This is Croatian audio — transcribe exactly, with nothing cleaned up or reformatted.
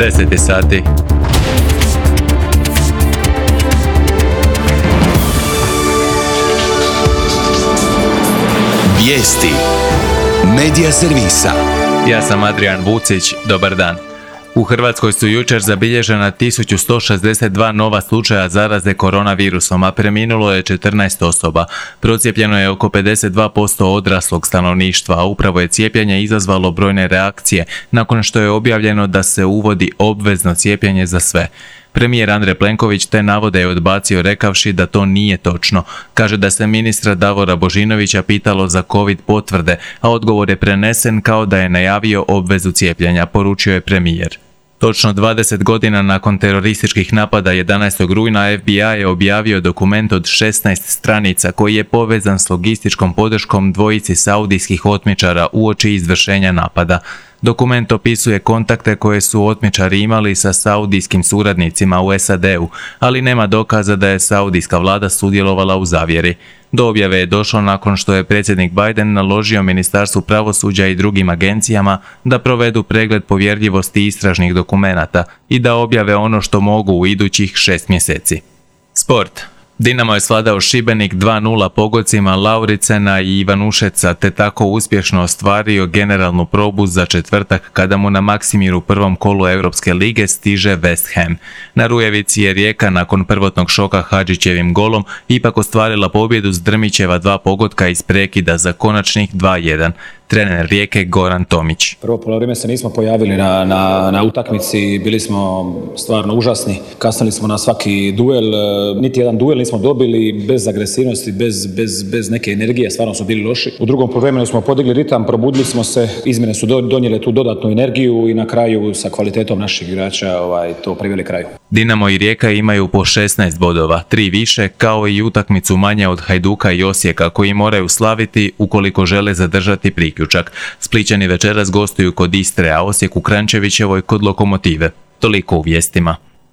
deset sati. Vijesti Medija servisa. Ja sam Adrian Vucić, dobar dan. U Hrvatskoj su jučer zabilježena tisuću sto šezdeset dva nova slučaja zaraze koronavirusom, a preminulo je četrnaest osoba. Procijepljeno je oko pedeset dva posto odraslog stanovništva, a upravo je cijepljenje izazvalo brojne reakcije nakon što je objavljeno da se uvodi obvezno cijepljenje za sve. Premijer Andrej Plenković te navode je odbacio rekavši da to nije točno. Kaže da se ministra Davora Božinovića pitalo za covid potvrde, a odgovor je prenesen kao da je najavio obvezu cijepljenja, poručio je premijer. Točno dvadeset godina nakon terorističkih napada jedanaestog rujna F B I je objavio dokument od šesnaest stranica koji je povezan s logističkom podrškom dvojici saudijskih otmičara uoči izvršenja napada. Dokument opisuje kontakte koje su otmičari imali sa saudijskim suradnicima u S A D-u, ali nema dokaza da je saudijska vlada sudjelovala u zavjeri. Do objave je došlo nakon što je predsjednik Biden naložio Ministarstvu pravosuđa i drugim agencijama da provedu pregled povjerljivosti istražnih dokumenata i da objave ono što mogu u idućih šest mjeseci. Sport. Dinamo je svladao Šibenik dva nula pogodcima Lauricena i Ivanušeca te tako uspješno ostvario generalnu probu za četvrtak kada mu na Maksimiru prvom kolu Europske lige stiže West Ham. Na Rujevici je Rijeka nakon prvotnog šoka Hadžićevim golom ipak ostvarila pobjedu s Drmićeva dva pogotka iz prekida za konačnih dva jedan. Trener Rijeke Goran Tomić. Prvo polovreme se nismo pojavili na, na, na utakmici, bili smo stvarno užasni, kasnili smo na svaki duel, niti jedan duel nismo dobili, bez agresivnosti, bez, bez, bez neke energije, stvarno su bili loši. U drugom polovremenu smo podigli ritam, probudili smo se, izmjene su donijele tu dodatnu energiju i na kraju sa kvalitetom naših igrača ovaj, to priveli kraju. Dinamo i Rijeka imaju po šesnaest bodova, tri više, kao i utakmicu manje od Hajduka i Osijeka koji moraju slaviti ukoliko žele zadržati priključak. Splićani večeras gostuju kod Istre, a Osijek u Kranjčevićevoj kod Lokomotive. Toliko u vijestima.